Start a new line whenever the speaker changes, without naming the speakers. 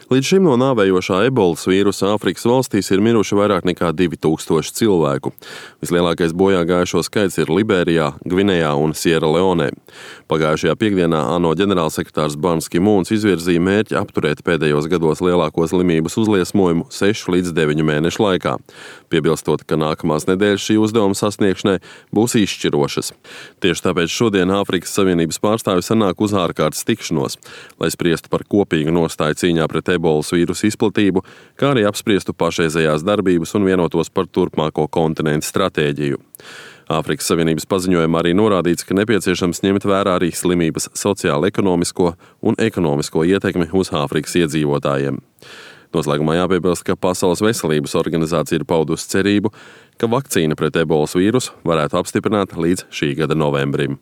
Līdz šim no nāvējošā ebolas vīrusa Āfrikas valstīs ir miruši vairāk nekā 2000 cilvēku. Vislielākais bojā gājušo skaits ir Liberijā, Gvinejā un Sieraleonē. Pagājušajā piekdienā ANO ģenerālsekretārs Bans Ki-mūns izvirzīja mērķi apturēt pēdējos gados lielāko slimības uzliesmojumu 6 līdz 9 mēnešu laikā, piebilstot, ka nākamās nedēļas šī uzdevuma sasniegšanai būs izšķirošas. Tieši tāpēc šodien Āfrikas Savienības pārstāvi sanāk uz ārkārtas tikšanos, lai spriestu par kopīgu nostāju cīņā pret ebolas vīrusu izplatību, kā arī apspriestu pašreizējās darbības un vienotos par turpmāko kontinentu stratēģiju. Āfrikas Savienības paziņojumā arī norādīts, ka nepieciešams ņemt vērā arī slimības sociālo-ekonomisko un ekonomisko ietekmi uz Āfrikas iedzīvotājiem. Noslēgumā jāpiebilst, ka Pasaules veselības organizācija ir paudusi cerību, ka vakcīna pret ebolas vīrusu varētu apstiprināt līdz šī gada novembrim.